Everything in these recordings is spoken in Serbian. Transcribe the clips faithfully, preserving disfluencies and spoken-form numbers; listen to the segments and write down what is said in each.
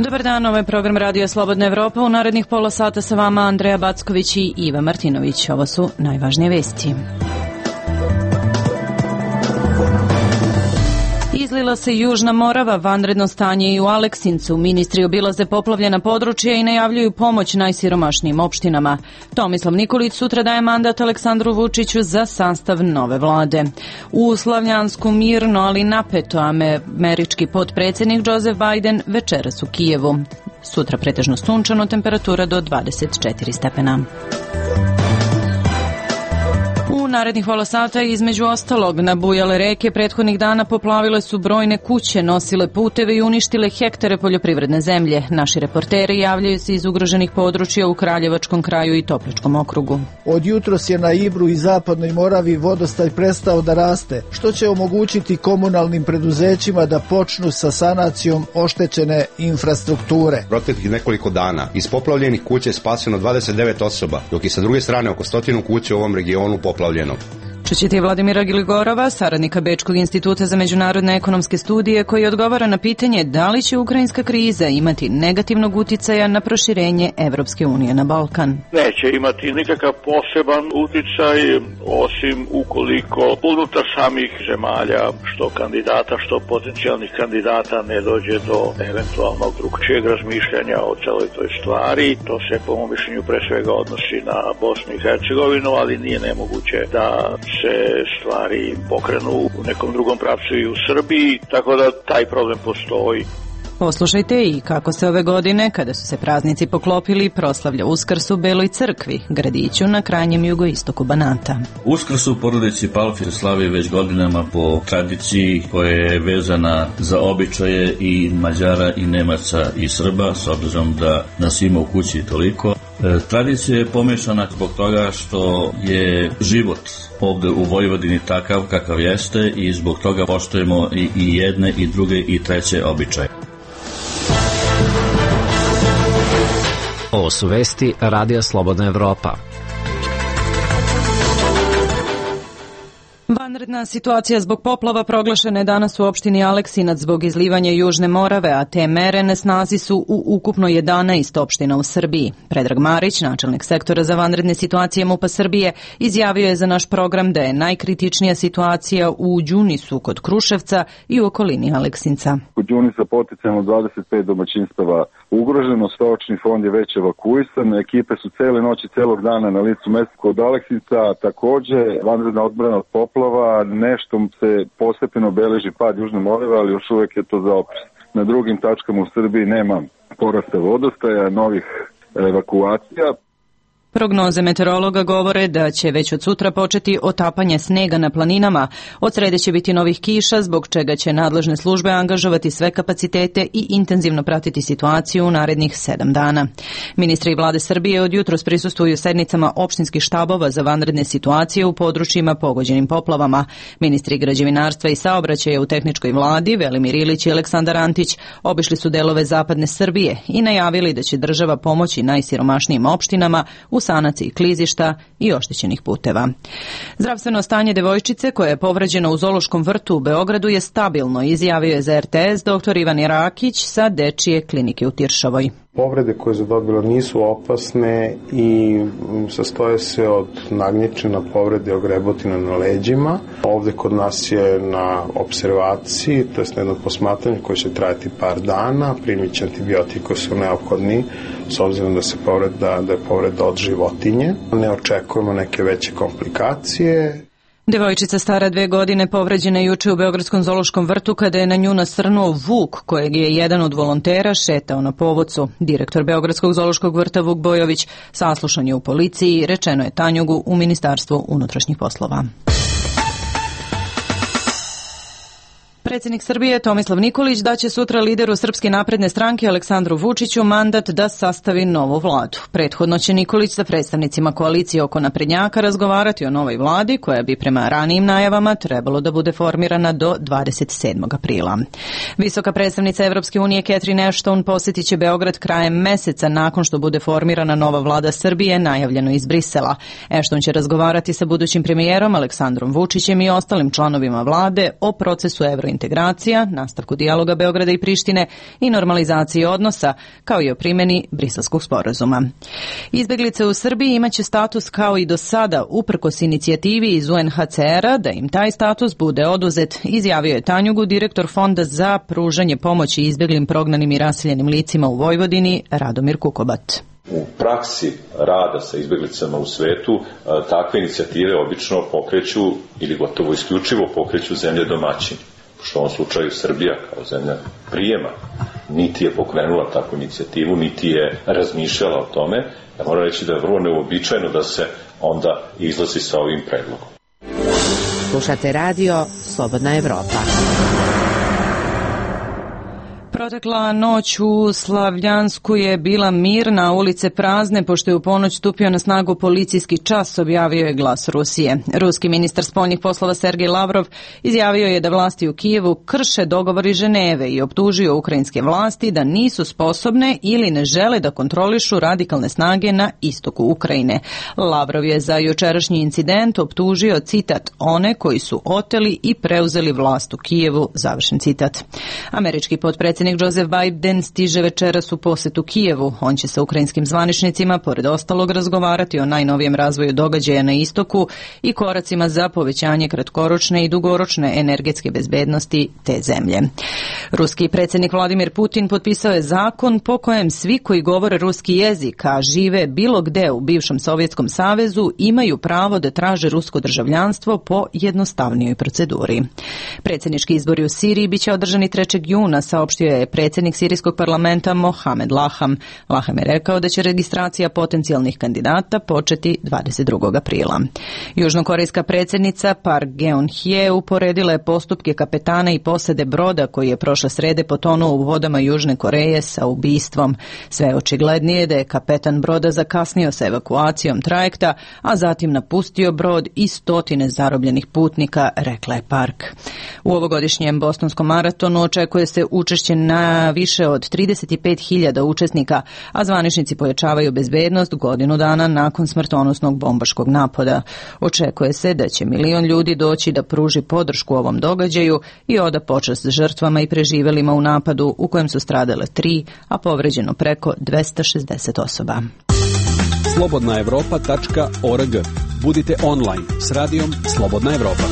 Dobar dan, ovo je program Radio Slobodna Evropa. U narednih pola sata sa vama Andreja Backović i Iva Martinović. Ovo su najvažnije vesti. Izlila se Južna Morava, vanredno stanje i u Aleksincu. Ministri obilaze poplavljena područja i najavljuju pomoć najsiromašnijim opštinama. Tomislav Nikolić sutra daje mandat Aleksandru Vučiću za sastav nove vlade. U Slavljansku mirno, ali napeto, američki potpredsjednik Joseph Biden večeras u Kijevu. Sutra pretežno sunčano, temperatura do dvadeset četiri stepena. U narednih pola sata između ostalog nabujale reke prethodnih dana poplavile su brojne kuće, nosile puteve i uništile hektare poljoprivredne zemlje. Naši reporteri javljaju se iz ugroženih područja u Kraljevačkom kraju i Topličkom okrugu. Od jutros je na Ibru i Zapadnoj Moravi vodostaj prestao da raste, što će omogućiti komunalnim preduzećima da počnu sa sanacijom oštećene infrastrukture. Proteklih nekoliko dana iz poplavljenih kuća je spaseno dvadeset devet osoba, dok je sa druge strane oko stotinu kuća u ovom regionu poplavljeno. Čućete Vladimira Gligorova, saradnika Bečkog instituta za međunarodne ekonomske studije, koji odgovara na pitanje da li će ukrajinska kriza imati negativnog uticaja na proširenje Evropske unije na Balkan. Neće imati nikakav poseban uticaj, osim ukoliko unutar samih zemalja, što kandidata, što potencijalnih kandidata, ne dođe do eventualnog drugčijeg razmišljanja o celoj toj stvari. To se po mom mišljenju pre svega odnosi na Bosnu i Hercegovinu, ali nije nemoguće da se stvari pokrenu u nekom drugom pravcu i u Srbiji, tako da taj problem postoji. Poslušajte i kako se ove godine, kada su se praznici poklopili, proslavlja Uskrs u Beloj crkvi, gradiću na krajnjem jugoistoku Banata. Uskrs u porodici Palfi se slavi već godinama po tradiciji koja je vezana za običaje i Mađara i Nemaca i Srba, s obzirom da nas ima u kući toliko. E, tradicija je pomešana zbog toga što je život ovde u Vojvodini takav kakav jeste i zbog toga poštujemo i, i jedne i druge i treće običaje. Ovo su vesti Radija Slobodna Evropa. Vanredna situacija zbog poplava proglašena je danas u opštini Aleksinac zbog izlivanja Južne Morave, a te mere na snazi su u ukupno jedanaest opština u Srbiji. Predrag Marić, načelnik sektora za vanredne situacije MUP-a Srbije, izjavio je za naš program da je najkritičnija situacija u Đunisu kod Kruševca i u okolini Aleksinca. Kod Đunisa potencijalno dvadeset pet domaćinstava ugroženo, stočni fond je već evakuisan, ekipe su cele noći, celog dana na licu mesta kod Aleksinca, takođe vanredna odbrana od poplava, nešto se postepeno beleži pad Južne Morave, ali još uvek je to za opis. Na drugim tačkama u Srbiji nema porasta vodostaja, novih evakuacija. Prognoze meteorologa govore da će već od sutra početi otapanje snega na planinama. Od srede će biti novih kiša, zbog čega će nadležne službe angažovati sve kapacitete i intenzivno pratiti situaciju u narednih sedam dana. Ministri vlade Srbije od jutros prisustvuju sednicama opštinskih štabova za vanredne situacije u područjima pogođenim poplavama. Ministri građevinarstva i saobraćaja u tehničkoj vladi, Velimir Ilić i Aleksandar Antić, obišli su delove zapadne Srbije i najavili da će država pomoći najsiromašnijim opštinama u sanaciji klizišta i oštećenih puteva. Zdravstveno stanje devojčice koja je povređena u Zoološkom vrtu u Beogradu je stabilno, izjavio je za er te es doktor Ivan Irakić sa Dečije klinike u Tiršovoj. Povrede koje je zadobila nisu opasne i sastoje se od nagnječena povrede ogrebotina na leđima. Ovde kod nas je na observaciji, to je na jedno posmatranje koje će trajati par dana, primit će antibiotiki koji su neophodni s obzirom da se povreda, da je povreda od životinje. Ne očekujemo neke veće komplikacije. Devojčica stara dve godine povređena juče u Beogradskom zoološkom vrtu kada je na nju nasrnuo vuk kojeg je jedan od volontera šetao na povodcu. Direktor Beogradskog zoološkog vrta Vuk Bojović saslušan je u policiji, rečeno je Tanjugu u Ministarstvu unutrašnjih poslova. Predsjednik Srbije Tomislav Nikolić daće sutra lideru Srpske napredne stranke Aleksandru Vučiću mandat da sastavi novu vladu. Prethodno će Nikolić sa predstavnicima koalicije oko naprednjaka razgovarati o novoj vladi koja bi prema ranijim najavama trebalo da bude formirana do dvadeset sedmog aprila. Visoka predstavnica Evropske unije Catherine Ashton posjetit će Beograd krajem meseca nakon što bude formirana nova vlada Srbije najavljeno iz Brisela. Ashton će razgovarati sa budućim premijerom Aleksandrom Vučićem i ostalim članovima vlade o procesu evrointegracije integracija, nastavku dijaloga Beograda i Prištine i normalizaciji odnosa, kao i o primjeni Briselskog sporazuma. Izbeglice u Srbiji imaće status kao i do sada, uprkos inicijativi iz U N H C R-a da im taj status bude oduzet, izjavio je Tanjugu, direktor Fonda za pružanje pomoći izbeglim, prognanim i raseljenim licima u Vojvodini, Radomir Kukobat. U praksi rada sa izbeglicama u svetu takve inicijative obično pokreću ili gotovo isključivo pokreću zemlje domaćini. Što u ovom slučaju Srbija kao zemlja prijema niti je pokrenula takvu inicijativu, niti je razmišljala o tome. Ja moram reći da je vrlo neuobičajeno da se onda izlazi sa ovim predlogom. Slušate radio Slobodna Evropa. Protekla noć u Slavljansku je bila mirna, ulice prazne, pošto je u ponoć stupio na snagu policijski čas, objavio je Glas Rusije. Ruski ministar spoljnih poslova Sergej Lavrov izjavio je da vlasti u Kijevu krše dogovor iz Ženeve i optužio ukrajinske vlasti da nisu sposobne ili ne žele da kontrolišu radikalne snage na istoku Ukrajine. Lavrov je za jučerašnji incident optužio, citat, one koji su oteli i preuzeli vlast u Kijevu, završen citat. Američki potpredsjednik Joseph Biden stiže večeras u posetu Kijevu. On će sa ukrajinskim zvaničnicima, pored ostalog, razgovarati o najnovijem razvoju događaja na istoku i koracima za povećanje kratkoročne i dugoročne energetske bezbednosti te zemlje. Ruski predsjednik Vladimir Putin potpisao je zakon po kojem svi koji govore ruski jezik, a žive bilo gde u bivšem Sovjetskom savezu, imaju pravo da traže rusko državljanstvo po jednostavnijoj proceduri. Predsjednički izbori u Siriji biće održani trećeg juna, saopštio je predsjednik sirijskog parlamenta Mohamed Laham. Laham je rekao da će registracija potencijalnih kandidata početi dvadeset drugog aprila. Južnokorejska predsjednica Park Geun-hye uporedila je postupke kapetana i posade broda koji je prošle srede potonuo u vodama Južne Koreje sa ubistvom. Sve očiglednije da je kapetan broda zakasnio sa evakuacijom trajekta, a zatim napustio brod i stotine zarobljenih putnika, rekla je Park. U ovogodišnjem bostonskom maratonu očekuje se učešće na više od trideset pet hiljada učesnika, a zvaničnici pojačavaju bezbednost godinu dana nakon smrtonosnog bombaškog napada. Očekuje se da će milion ljudi doći da pruži podršku ovom događaju i oda počast žrtvama i preživelima u napadu u kojem su stradale tri, a povređeno preko dvesta šezdeset osoba. slobodna evropa tačka org. Budite online s radijom Slobodna Evropa.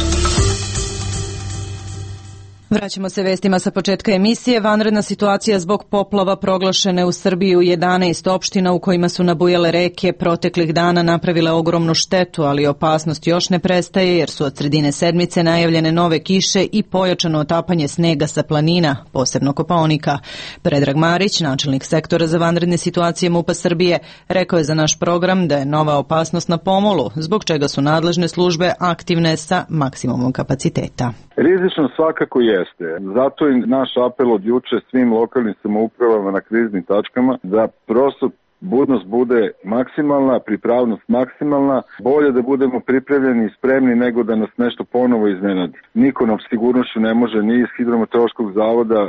Vraćamo se vestima sa početka emisije. Vanredna situacija zbog poplava proglašene u Srbiji u jedanaest opština u kojima su nabujale reke proteklih dana napravile ogromnu štetu, ali opasnost još ne prestaje jer su od sredine sedmice najavljene nove kiše i pojačano otapanje snega sa planina, posebno Kopaonika. Predrag Marić, načelnik sektora za vanredne situacije MUP-a Srbije, rekao je za naš program da je nova opasnost na pomolu, zbog čega su nadležne službe aktivne sa maksimumom kapaciteta. Rizično svakako jeste. Zato je naš apel od juče svim lokalnim samoupravama na kriznim tačkama da prosto budnost bude maksimalna, pripravnost maksimalna, bolje da budemo pripremljeni i spremni nego da nas nešto ponovo iznenadi. Niko nam sigurnošću ne može ni iz Hidrometeorološkog zavoda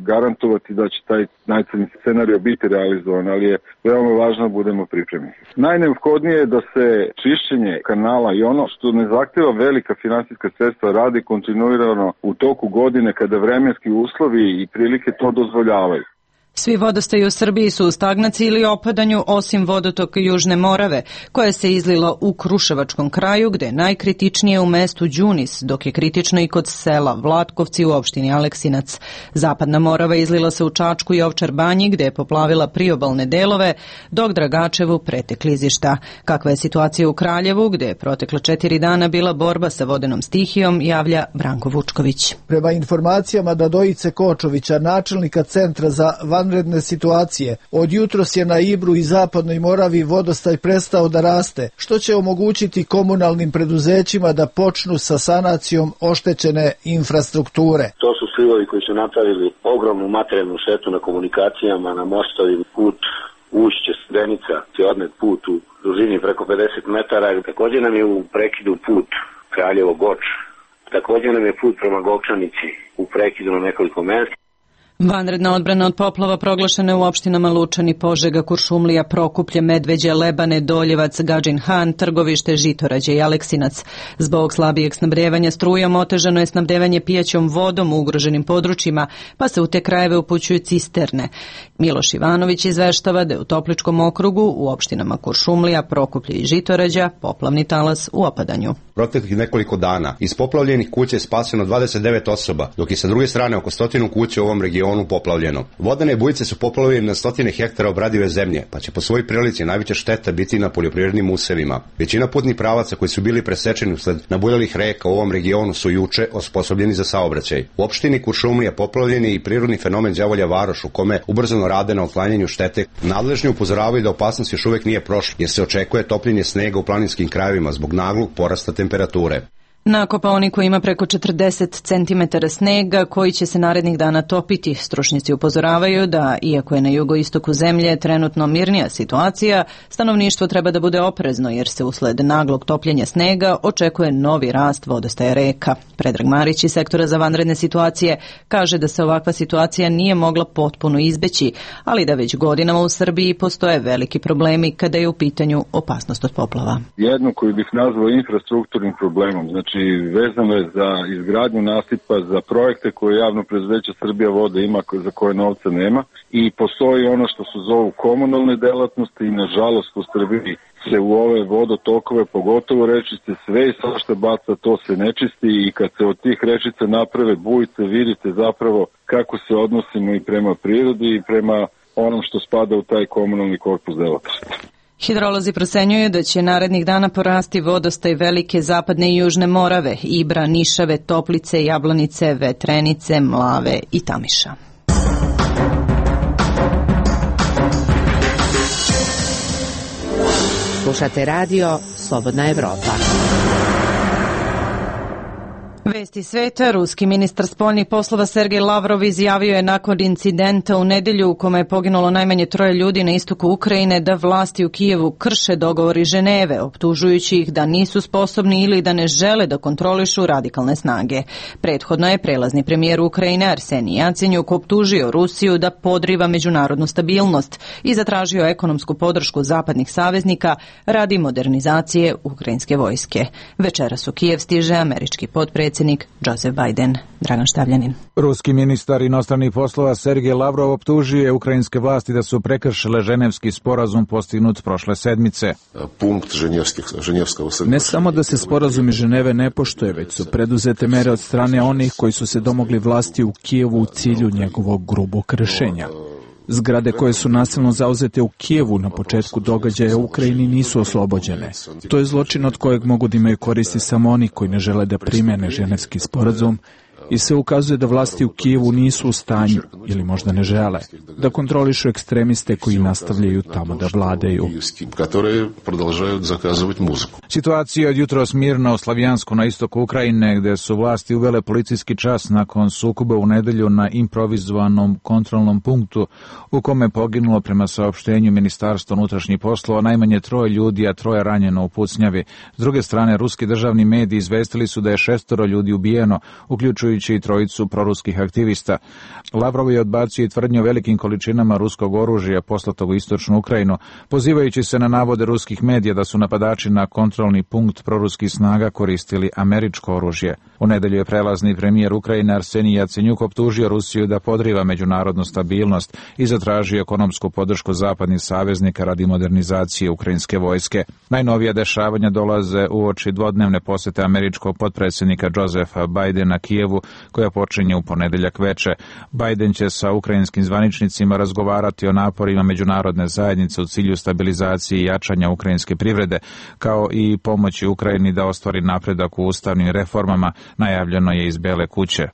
garantovati da će taj najcrnji scenario biti realizovan, ali je veoma važno da budemo pripremljeni. Najneophodnije je da se čišćenje kanala i ono što ne zahteva velika finansijska sredstva radi kontinuirano u toku godine kada vremenski uslovi i prilike to dozvoljavaju. Svi vodostaji u Srbiji su u stagnaciji ili opadanju, osim vodotoka Južne Morave, koja se izlila u Kruševačkom kraju, gde je najkritičnije u mestu Đunis, dok je kritično i kod sela Vlatkovci u opštini Aleksinac. Zapadna Morava izlila se u Čačku i Ovčar Banji, gde je poplavila priobalne delove, dok Dragačevu prete klizišta. Kakva je situacija u Kraljevu, gde je protekla četiri dana bila borba sa vodenom stihijom, javlja Branko Vučković. Prema informacijama Dadojice Kočovića, načelnika Centra za vanredne situacije, od jutros je na Ibru i Zapadnoj Moravi vodostaj prestao da raste, što će omogućiti komunalnim preduzećima da počnu sa sanacijom oštećene infrastrukture. To su slivovi koji su napravili ogromnu materijalnu štetu na komunikacijama, na mostovima, put Ušće, Studenica, je odnet put u dužini preko pedeset metara. Također nam je u prekidu put Kraljevo-Goč. Također nam je put prema Govčanici u prekidu na nekoliko mesta. Vanredna odbrana od poplava proglašena je u opštinama Lučani, Požega, Kuršumlija, Prokuplje, Medveđe, Lebane, Doljevac, Gadžin Han, Trgovište, Žitorađe i Aleksinac. Zbog slabijeg snabdevanja strujom otežano je snabdevanje pijaćom vodom u ugroženim područjima, pa se u te krajeve upućuju cisterne. Miloš Ivanović izveštava da je u Topličkom okrugu u opštinama Kuršumlija, Prokuplje i Žitorađa poplavni talas u opadanju. Proteklih nekoliko dana iz poplavljenih kuća je spaseno dvadeset devet osoba, dok je sa druge strane oko stotinu kuća u ovom regionu poplavljeno. Vodene bujice su poplavljene na stotine hektara obradive zemlje, pa će po svojoj prilici najveća šteta biti na poljoprivrednim usevima. Većina putnih pravaca koji su bili presečeni usled nabujalih reka u ovom regionu su juče osposobljeni za saobraćaj. U opštini Kuršumlija poplavljen je i prirodni fenomen Đavolja Varoš, u kome ubrzano rade na otklanjanju štete. Nadležni upozoravaju da opasnost još uvek nije prošla, jer se očekuje topljenje snega u planinskim krajevima zbog naglog porasta temperature. Na Kopaoniku ima preko četrdeset centimetara snega koji će se narednih dana topiti. Stručnjaci upozoravaju da, iako je na jugoistoku zemlje trenutno mirnija situacija, stanovništvo treba da bude oprezno jer se usled naglog topljenja snega očekuje novi rast vodostaja reka. Predrag Marić iz sektora za vanredne situacije kaže da se ovakva situacija nije mogla potpuno izbeći, ali da već godinama u Srbiji postoje veliki problemi kada je u pitanju opasnost od poplava. Jedno koju bih nazvao infrastrukturnim problemom, znači vezano je za izgradnju nasipa, za projekte koje javno preduzeće Srbija vode ima, za koje novca nema, i postoji ono što se zovu komunalne delatnosti i nažalost u Srbiji se u ove vodotokove, pogotovo rečice, sve i svašta baca, to se ne čisti i kad se od tih rečica naprave bujice, vidite zapravo kako se odnosimo i prema prirodi i prema onom što spada u taj komunalni korpus delatnosti. Hidrolozi procenjuju da će narednih dana porasti vodostaj Velike, Zapadne i Južne Morave, Ibra, Nišave, Toplice, Jablanice, Vetrenice, Mlave i Tamiša. Slušate radio Slobodna Evropa. Vesti sveta. Ruski ministar spoljnih poslova Sergej Lavrov izjavio je nakon incidenta u nedelju u kome je poginulo najmanje troje ljudi na istoku Ukrajine da vlasti u Kijevu krše dogovor iz Ženeve, optužujući ih da nisu sposobni ili da ne žele da kontrolišu radikalne snage. Prethodno je prelazni premijer Ukrajine Arsenij Jacenjuk optužio Rusiju da podriva međunarodnu stabilnost i zatražio ekonomsku podršku zapadnih saveznika radi modernizacije ukrajinske vojske. Večeras u Kijev stiže američki potpredsjednik Joseph Biden. Dragan Štavljanin. Ruski ministar inostranih poslova Sergej Lavrov optužio je ukrajinske vlasti da su prekršile ženevski sporazum postignut prošle sedmice. Punkt ženevskog Ne samo da se sporazum iz Ženeve ne poštuje, već su preduzete mere od strane onih koji su se domogli vlasti u Kijevu u cilju njegovog grubog kršenja. Zgrade koje su nasilno zauzete u Kijevu na početku događaja u Ukrajini nisu oslobođene. To je zločin od kojeg mogu da imaju koristi samo oni koji ne žele da primene ženevski sporazum i se ukazuje da vlasti u Kijevu nisu u stanju, ili možda ne žele, da kontrolišu ekstremiste koji nastavljaju tamo da vladaju. Situacija od jutros mirna u Slavijansku na istoku Ukrajine, gde su vlasti uvele policijski čas nakon sukoba u nedelju na improvizovanom kontrolnom punktu u kome je poginulo prema saopštenju Ministarstva unutrašnjih poslova najmanje troje ljudi, a troje ranjeno u pucnjavi. S druge strane, ruski državni mediji izvestili su da je šestoro ljudi ubijeno, uključujući i trojicu proruskih aktivista. Lavrov je odbacio i tvrdnju o velikim količinama ruskog oružja poslatog u istočnu Ukrajinu, pozivajući se na navode ruskih medija da su napadači na kontrolni punkt proruskih snaga koristili američko oružje. U nedelju je prelazni premijer Ukrajine Arsenij Jacenjuk optužio Rusiju da podriva međunarodnu stabilnost i zatražio ekonomsku podršku zapadnih saveznika radi modernizacije ukrajinske vojske. Najnovija dešavanja dolaze uoči dvodnevne posete američkog potpredsjednika Josepha Bidena Kijevu, koja počinje u ponedeljak veče. Biden će sa ukrajinskim zvaničnicima razgovarati o naporima međunarodne zajednice u cilju stabilizacije i jačanja ukrajinske privrede, kao i pomoći Ukrajini da ostvari napredak u ustavnim reformama, najavljeno je iz Bele kuće.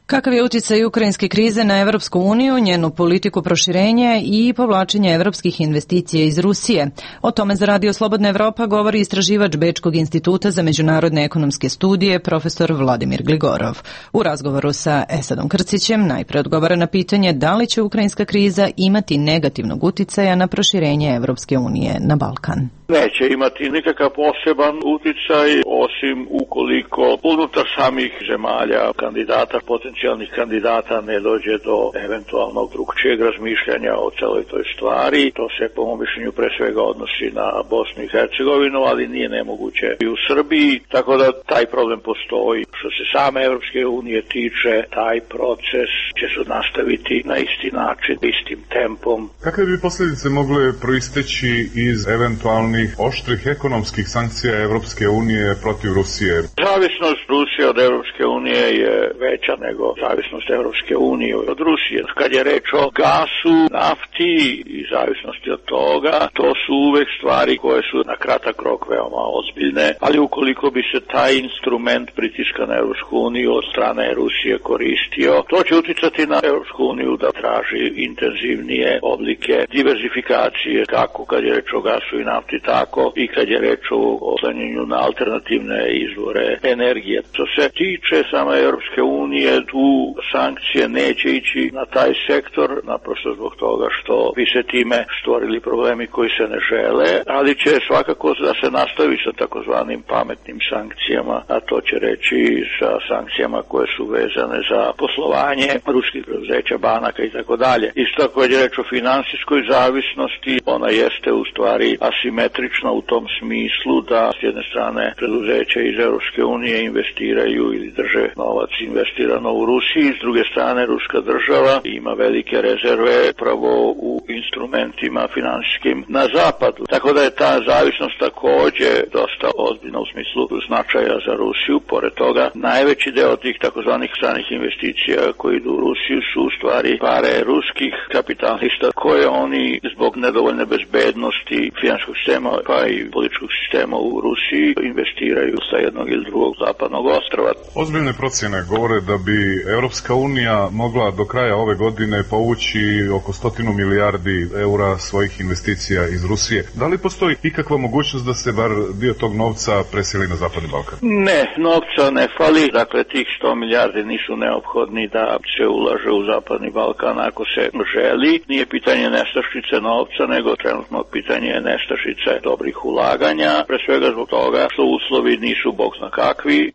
Kakav je uticaj ukrajinske krize na Evropsku uniju, njenu politiku proširenja i povlačenja evropskih investicija iz Rusije? O tome za Radio Slobodna Evropa govori istraživač Bečkog instituta za međunarodne ekonomske studije, profesor Vladimir Gligorov. U razgovoru sa Esadom Krcićem najpre odgovara na pitanje da li će ukrajinska kriza imati negativnog uticaja na proširenje Evropske unije na Balkan. Neće imati nikakav poseban uticaj, osim ukoliko unutar samih zemalja kandidata potencijalnih potencijalnih kandidata ne dođe do eventualnog drugčijeg razmišljanja o celoj toj stvari. To se po mom mišljenju pre svega odnosi na Bosnu i Hercegovinu, ali nije nemoguće i u Srbiji, tako da taj problem postoji. Što se same Evropske unije tiče, taj proces će se nastaviti na isti način, istim tempom. Kakve bi posljedice mogle proisteći iz eventualnih oštrih ekonomskih sankcija Evropske unije protiv Rusije? Zavisnost Rusije od Evropske unije je veća nego zavisnost Evropske unije od Rusije. Kad je reč o gasu, nafti i zavisnosti od toga, to su uvek stvari koje su na kratak rok veoma ozbiljne, ali ukoliko bi se taj instrument pritiska na Evropsku uniju od strane Rusije koristio, to će uticati na Evropsku uniju da traži intenzivnije oblike diverzifikacije, kako kad je reč o gasu i nafti, tako i kad je reč o oslanjanju na alternativne izvore energije. Što se tiče same Evropske unije, tu sankcije neće ići na taj sektor, naprosto zbog toga što bi se time stvorili problemi koji se ne žele, ali će svakako da se nastavi sa takozvanim pametnim sankcijama, a to će reći sa sankcijama koje su vezane za poslovanje ruskih preduzeća, banaka i tako dalje. Isto tako je reč o finansijskoj zavisnosti, ona jeste u stvari asimetrična u tom smislu da s jedne strane preduzeća iz Evropske unije investiraju ili drže novac investirano u Rusiji, s druge strane ruska država ima velike rezerve pravo u instrumentima finansijskim na zapadu. Tako da je ta zavisnost takođe dosta ozbiljna u smislu značaja za Rusiju. Pored toga, najveći deo tih takozvanih stranih investicija koji idu u Rusiju su u stvari pare ruskih kapitalista koje oni zbog nedovoljne bezbednosti finansijskog sistema pa i političkog sistema u Rusiji investiraju sa jednog ili drugog zapadnog ostrva. Ozbiljne procjene govore da bi Evropska unija mogla do kraja ove godine povući oko stotinu milijardi eura svojih investicija iz Rusije. Da li postoji ikakva mogućnost da se bar dio tog novca preseli na Zapadni Balkan? Ne, novca ne fali, dakle tih sto milijardi nisu neophodni da se ulaže u Zapadni Balkan ako se želi. Nije pitanje nestašice novca, nego trenutno pitanje je nestašice dobrih ulaganja, pre svega zbog toga što uslovi nisu bog zna kakvi.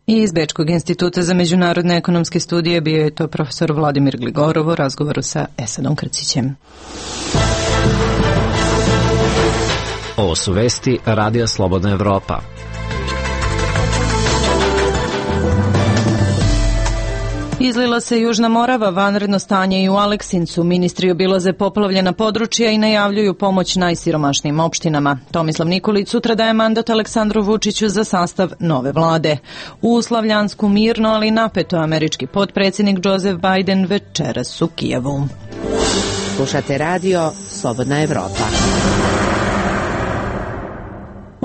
I iz Bečkog instituta za međunarodne ekonomske studije bio je to profesor Vladimir Gligorov u razgovoru sa Esadom Krcićem. Ovo su vesti Radija Slobodna Evropa. Izlila se Južna Morava, vanredno stanje i u Aleksincu. Ministri obilaze poplavljena područja i najavljuju pomoć najsiromašnijim opštinama. Tomislav Nikolić sutra daje mandat Aleksandru Vučiću za sastav nove vlade. U Slavljansku mirno, ali napeto, američki potpredsjednik Joseph Biden večeras u Kijevu. Slušate radio Slobodna Evropa.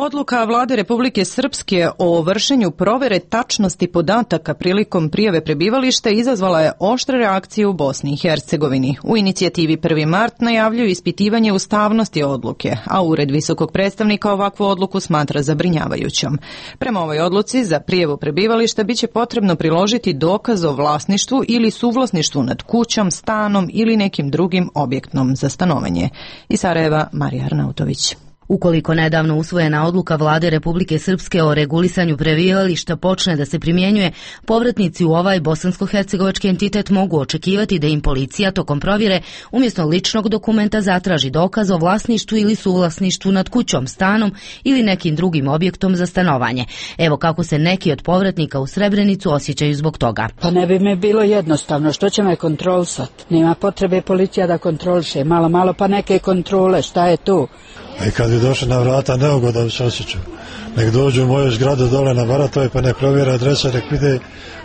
Odluka vlade Republike Srpske o vršenju provere tačnosti podataka prilikom prijave prebivališta izazvala je oštre reakcije u Bosni i Hercegovini. U inicijativi prvi mart najavljuju ispitivanje ustavnosti odluke, a Ured visokog predstavnika ovakvu odluku smatra zabrinjavajućom. Prema ovoj odluci za prijavu prebivališta biće potrebno priložiti dokaz o vlasništvu ili suvlasništvu nad kućom, stanom ili nekim drugim objektom za stanovanje. Iz Sarajeva, Marija Arnautović. Ukoliko nedavno usvojena odluka vlade Republike Srpske o regulisanju prebivališta počne da se primjenjuje, povratnici u ovaj bosansko-hercegovački entitet mogu očekivati da im policija tokom provjere umjesto ličnog dokumenta zatraži dokaz o vlasništvu ili suvlasništvu nad kućom, stanom ili nekim drugim objektom za stanovanje. Evo kako se neki od povratnika u Srebrenicu osjećaju zbog toga. Pa ne bi me bilo jednostavno, što će me kontrolisati? Nema potrebe policija da kontroliše, malo malo pa neke kontrole, šta je tu? I kad bi došli na vrata, neugodan bi se osjećao. Nek dođu u moju zgradu dole na Baratove pa nek provjera adrese, nek vide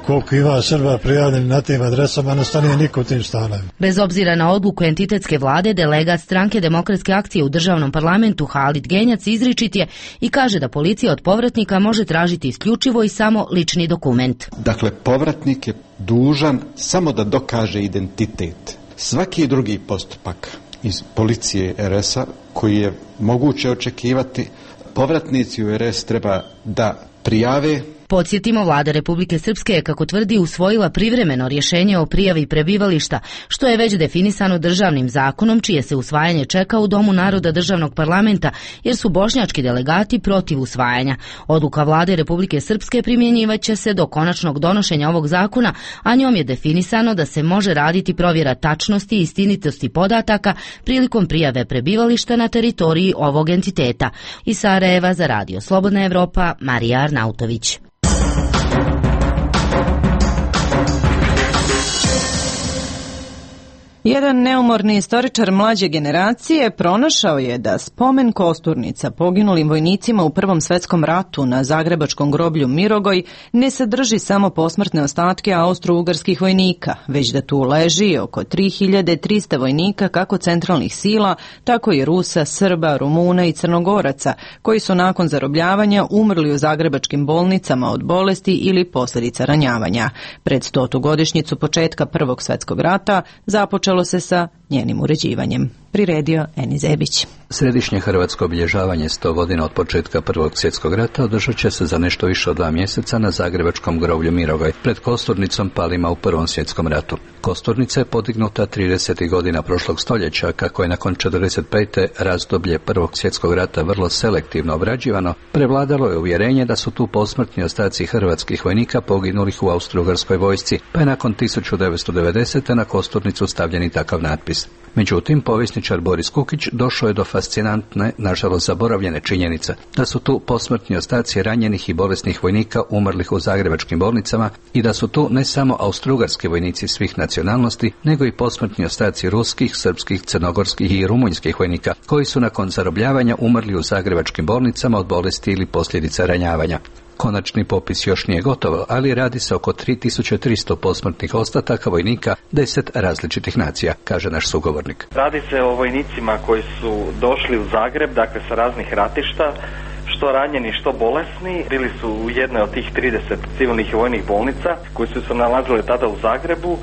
koliko ima Srba prijavljeni na tim adresama, ne stane niko u tim stanovima. Bez obzira na odluku entitetske vlade, delegat stranke Demokratske akcije u državnom parlamentu Halid Genjac izričit je i kaže da policija od povratnika može tražiti isključivo i samo lični dokument. Dakle, povratnik je dužan samo da dokaže identitet. Svaki drugi postupak iz policije er es a koji je moguće očekivati, povratnici u er es treba da prijave Podsjetimo, vlada Republike Srpske je, kako tvrdi, usvojila privremeno rješenje o prijavi prebivališta, što je već definisano državnim zakonom, čije se usvajanje čeka u Domu naroda državnog parlamenta, jer su bošnjački delegati protiv usvajanja. Odluka vlade Republike Srpske primjenjivaće se do konačnog donošenja ovog zakona, a njom je definisano da se može raditi provjera tačnosti i istinitosti podataka prilikom prijave prebivališta na teritoriji ovog entiteta. Iz Sarajeva za Radio Slobodna Evropa, Marija Arnautović. Jedan neumorni istoričar mlađe generacije pronašao je da spomen kosturnica poginulim vojnicima u Prvom svetskom ratu na zagrebačkom groblju Mirogoj ne sadrži samo posmrtne ostatke austro-ugarskih vojnika, već da tu leži oko tri hiljade trista vojnika kako centralnih sila, tako i Rusa, Srba, Rumuna i Crnogoraca, koji su nakon zarobljavanja umrli u zagrebačkim bolnicama od bolesti ili posljedica ranjavanja. Pred stotu godišnjicu početka Prvog svjetskog rata započelo se sa njenim uređivanjem. Priredio Eni Zebić. Središnje hrvatsko obilježavanje sto godina od početka Prvog svjetskog rata održat će se za nešto više od dva mjeseca na zagrebačkom groblju Mirogoj, pred kosturnicom palima u Prvom svjetskom ratu. Kosturnica je podignuta tridesetih godina prošlog stoljeća, kako je nakon četrdeset pete razdoblje Prvog svjetskog rata vrlo selektivno obrađivano, prevladalo je uvjerenje da su tu posmrtni ostaci hrvatskih vojnika poginulih u austro-ugarskoj vojsci, pa je nakon tisuću devetsto devedesete na kosturnicu stavljen i takav natpis. Međutim, povjesničar Boris Kukić došao je do fascinantne, nažalost zaboravljene činjenice, da su tu posmrtni ostaci ranjenih i bolesnih vojnika umrlih u zagrebačkim bolnicama i da su tu ne samo austrougarski vojnici svih nacionalnosti, nego i posmrtni ostaci ruskih, srpskih, crnogorskih i rumunjskih vojnika, koji su nakon zarobljavanja umrli u zagrebačkim bolnicama od bolesti ili posljedica ranjavanja. Konačni popis još nije gotov, ali radi se oko tri tisuće tristo posmrtnih ostataka vojnika deset različitih nacija, kaže naš sugovornik. Radi se o vojnicima koji su došli u Zagreb, dakle sa raznih ratišta, što ranjeni, što bolesni. Bili su u jednoj od tih trideset civilnih i vojnih bolnica koji su se nalazili tada u Zagrebu.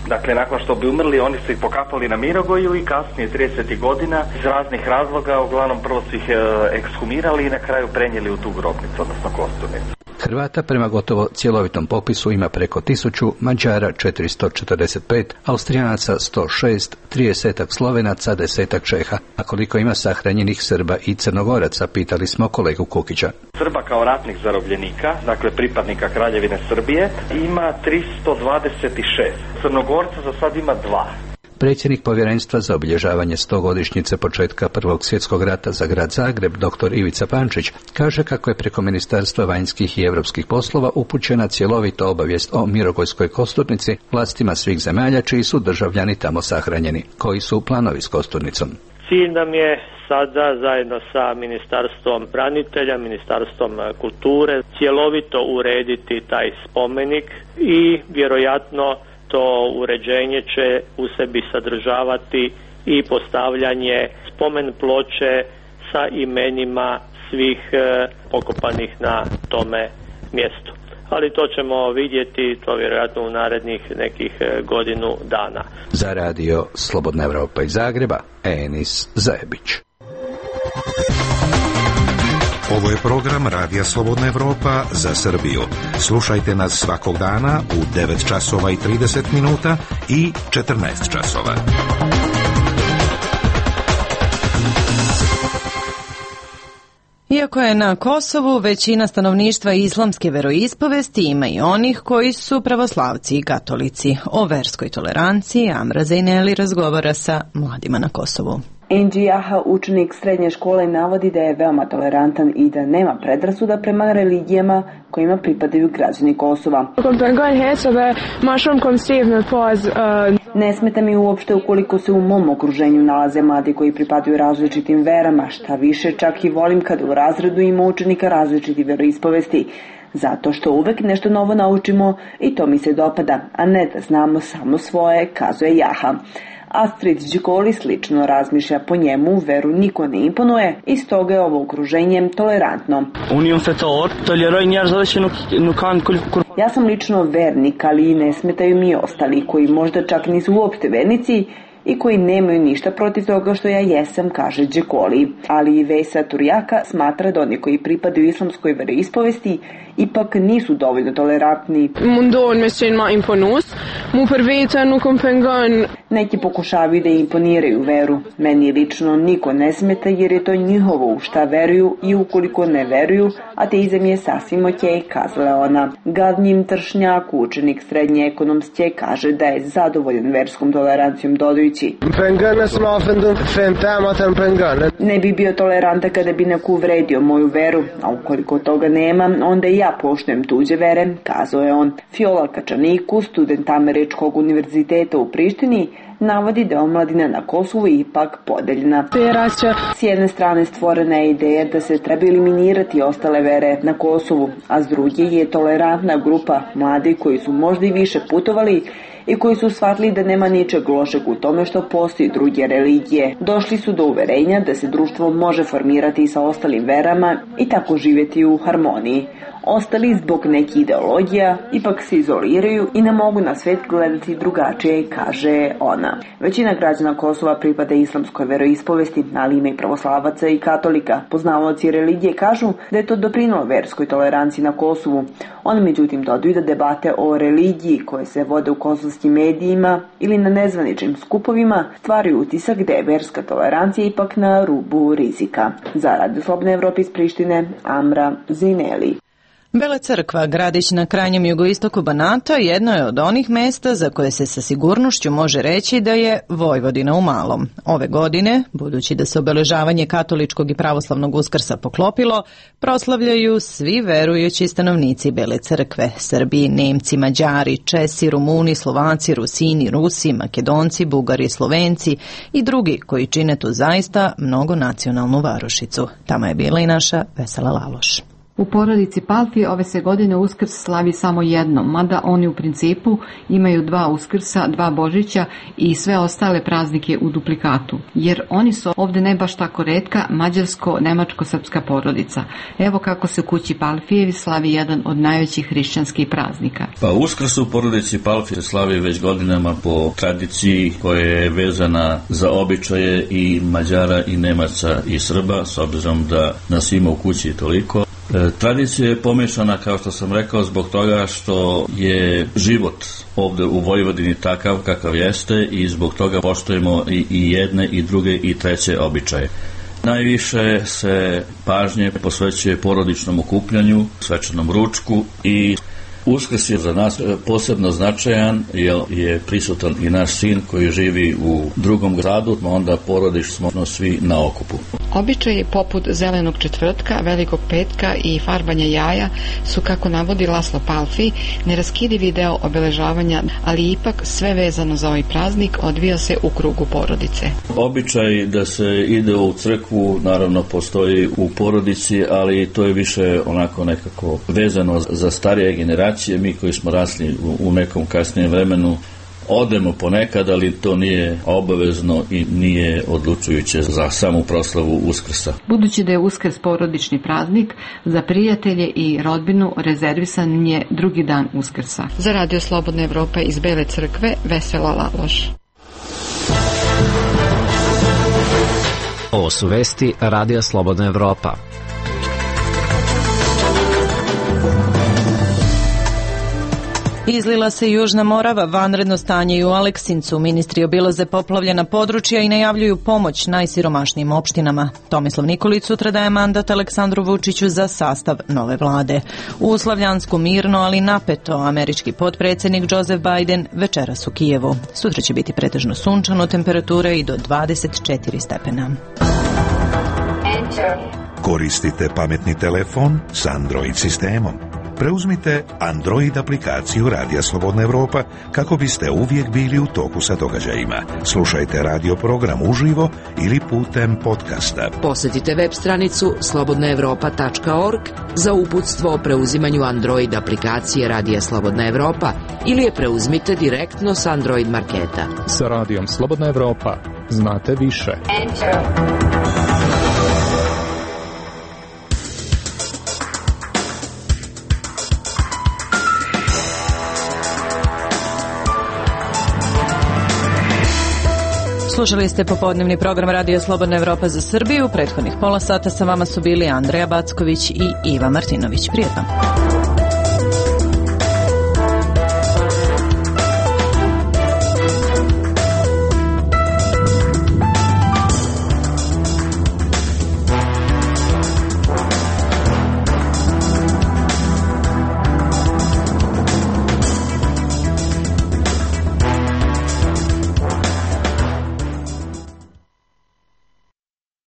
Dakle, nakon što bi umrli, oni su ih pokapali na Mirogoju i kasnije tridesetih godina iz raznih razloga, uglavnom prvo su ih e, ekshumirali i na kraju prenijeli u tu grobnicu, odnosno kosturnicu. Hrvata prema gotovo cjelovitom popisu ima preko tisuću, Mađara četiristo četrdeset pet, Austrijanaca sto šest, tridesetak Slovenaca, desetak Čeha. A koliko ima sahranjenih Srba i Crnogoraca, pitali smo kolegu Kukića. Srba kao ratnih zarobljenika, dakle pripadnika Kraljevine Srbije, ima tristo dvadeset šest. Crnogorca za sad ima dva. Predsjednik povjerenstva za obilježavanje stogodišnjice početka Prvog svjetskog rata za grad Zagreb, dr. Ivica Pančić, kaže kako je preko Ministarstva vanjskih i europskih poslova upućena cjelovita obavijest o Mirogojskoj kosturnici vlastima svih zemalja čiji su državljani tamo sahranjeni. Koji su planovi s kosturnicom? Cilj nam je sada zajedno sa Ministarstvom branitelja, Ministarstvom kulture cjelovito urediti taj spomenik i vjerojatno to uređenje će u sebi sadržavati i postavljanje spomen ploče sa imenima svih pokopanih na tome mjestu. Ali to ćemo vidjeti, to vjerojatno u narednih nekih godinu dana. Za Radio Slobodna Evropa iz Zagreba, Enis Zajebić. Ovo je program Radija Slobodna Evropa za Srbiju. Slušajte nas svakog dana u devet časova i trideset minuta i četrnaest časova. Iako je na Kosovu većina stanovništva islamske veroispovesti, ima i onih koji su pravoslavci i katolici. O verskoj toleranciji Amra Zejneli razgovara sa mladima na Kosovu. Enđi Jaha, učenik srednje škole, navodi da je veoma tolerantan i da nema predrasuda prema religijama kojima pripadaju građani Kosova. Ne smeta mi uopšte ukoliko se u mom okruženju nalaze mladi koji pripadaju različitim verama, šta više čak i volim kada u razredu ima učenika različitih veroispovesti. Zato što uvek nešto novo naučimo i to mi se dopada, a ne da znamo samo svoje, kazuje Jaha. Astrid Đikoli slično razmišlja, po njemu veru niko ne imponuje i stoga je ovo okruženje tolerantno. Ja sam lično vernik, ali ne smetaju mi ostali koji možda čak nisu uopšte vernici i koji nemaju ništa protiv toga što ja jesam, kaže Đekoli. Ali i Vesa Turjaka smatra da oni koji pripadaju islamskoj veroispovesti ipak nisu dovoljno tolerantni. Neki pokušavaju da imponiraju veru. Meni lično niko ne smeta jer je to njihovo u šta veruju i ukoliko ne veruju, ateizam je sasvim okej, kazala ona. Gadnjim Tršnjak, učenik srednje ekonomske, kaže da je zadovoljan verskom tolerancijom, dodajući: ne bi bio tolerantan kada bi neko uvredio moju veru, a ukoliko toga nema, onda i ja poštujem tuđe vere, kazao je on. Fiola Kačaniku, student Američkog univerziteta u Prištini, navodi da je omladina na Kosovu ipak podeljena. S jedne strane stvorena je ideja da se treba eliminirati ostale vere na Kosovu, a s druge je tolerantna grupa mladih koji su možda i više putovali i koji su shvatili da nema ničeg lošeg u tome što postoji druge religije. Došli su do uverenja da se društvo može formirati sa ostalim verama i tako živjeti u harmoniji. Ostali zbog nekih ideologija ipak se izoliraju i ne mogu na svet gledati drugačije, kaže ona. Većina građana Kosova pripada islamskoj veroispovesti, ali ima i pravoslavaca i katolika. Poznavaoci religije kažu da je to doprinelo verskoj toleranciji na Kosovu. Oni međutim dodaju da debate o religiji koje se vode u kosovskim medijima ili na nezvaničnim skupovima stvaraju utisak da je verska tolerancija ipak na rubu rizika. Za Radio Slobodne Evrope iz Prištine, Amra Zineli. Bela Crkva, gradić na krajnjem jugoistoku Banata, jedno je od onih mesta za koje se sa sigurnošću može reći da je Vojvodina u malom. Ove godine, budući da se obeležavanje katoličkog i pravoslavnog Uskrsa poklopilo, proslavljaju svi verujući stanovnici Bele Crkve: Srbi, Nemci, Mađari, Česi, Rumuni, Slovaci, Rusini, Rusi, Makedonci, Bugari, Slovenci i drugi koji čine tu zaista mnogonacionalnu varošicu. Tamo je bila i naša Vesela Laloš. U porodici Palfi ove se godine Uskrs slavi samo jednom, mada oni u principu imaju dva Uskrsa, dva Božića i sve ostale praznike u duplikatu, jer oni su ovde ne baš tako retka mađarsko-nemačko-srpska porodica. Evo kako se u kući Palfijevi slavi jedan od najvećih hrišćanskih praznika. Pa Uskrs u porodici Palfi se slavi već godinama po tradiciji koja je vezana za običaje i Mađara i Nemaca i Srba, s obzirom da nas ima u kući toliko. E, tradicija je pomešana, kao što sam rekao, zbog toga što je život ovde u Vojvodini takav kakav jeste i zbog toga poštujemo i, i jedne i druge i treće običaje. Najviše se pažnje posvećuje porodičnom okupljanju, svečanom ručku i Uskrs je za nas posebno značajan jer je prisutan i naš sin koji živi u drugom gradu, onda porodično smo svi na okupu. Običaji poput zelenog četvrtka, velikog petka i farbanja jaja su, kako navodi Laslo Palfi, neraskidivi deo obeležavanja, ali ipak sve vezano za ovaj praznik odvija se u krugu porodice. Običaj da se ide u crkvu naravno postoji u porodici, ali to je više onako nekako vezano za starije generacije. Mi koji smo rasli u nekom kasnijem vremenu odemo ponekad, ali to nije obavezno i nije odlučujuće za samu proslavu Uskrsa. Budući da je Uskrs porodični praznik, za prijatelje i rodbinu rezervisan je drugi dan Uskrsa. Za Radio Slobodna Evropa iz Bele Crkve, Vesela Laloš. Ovo su vesti Radija Slobodna Evropa. Izlila se Južna Morava, vanredno stanje i u Aleksincu. Ministri obilaze poplavljena područja i najavljuju pomoć najsiromašnijim opštinama. Tomislav Nikolić sutra daje mandat Aleksandru Vučiću za sastav nove vlade. U Slavljansku mirno, ali napeto, američki potpredsjednik Joseph Biden večeras u Kijevu. Sutra će biti pretežno sunčano, temperature i do dvadeset četiri stepena. Koristite pametni telefon s Android sistemom. Preuzmite Android aplikaciju Radija Slobodna Evropa kako biste uvijek bili u toku sa događajima. Slušajte radio program uživo ili putem podcasta. Posjetite web stranicu slobodna evropa tačka org za uputstvo o preuzimanju Android aplikacije Radija Slobodna Evropa ili je preuzmite direktno s Android marketa. Sa Radijom Slobodna Evropa znate više. Enter. Slušali ste popodnevni program Radio Slobodna Evropa za Srbiju. Prethodnih pola sata sa vama su bili Andreja Backović i Iva Martinović. Prijetno.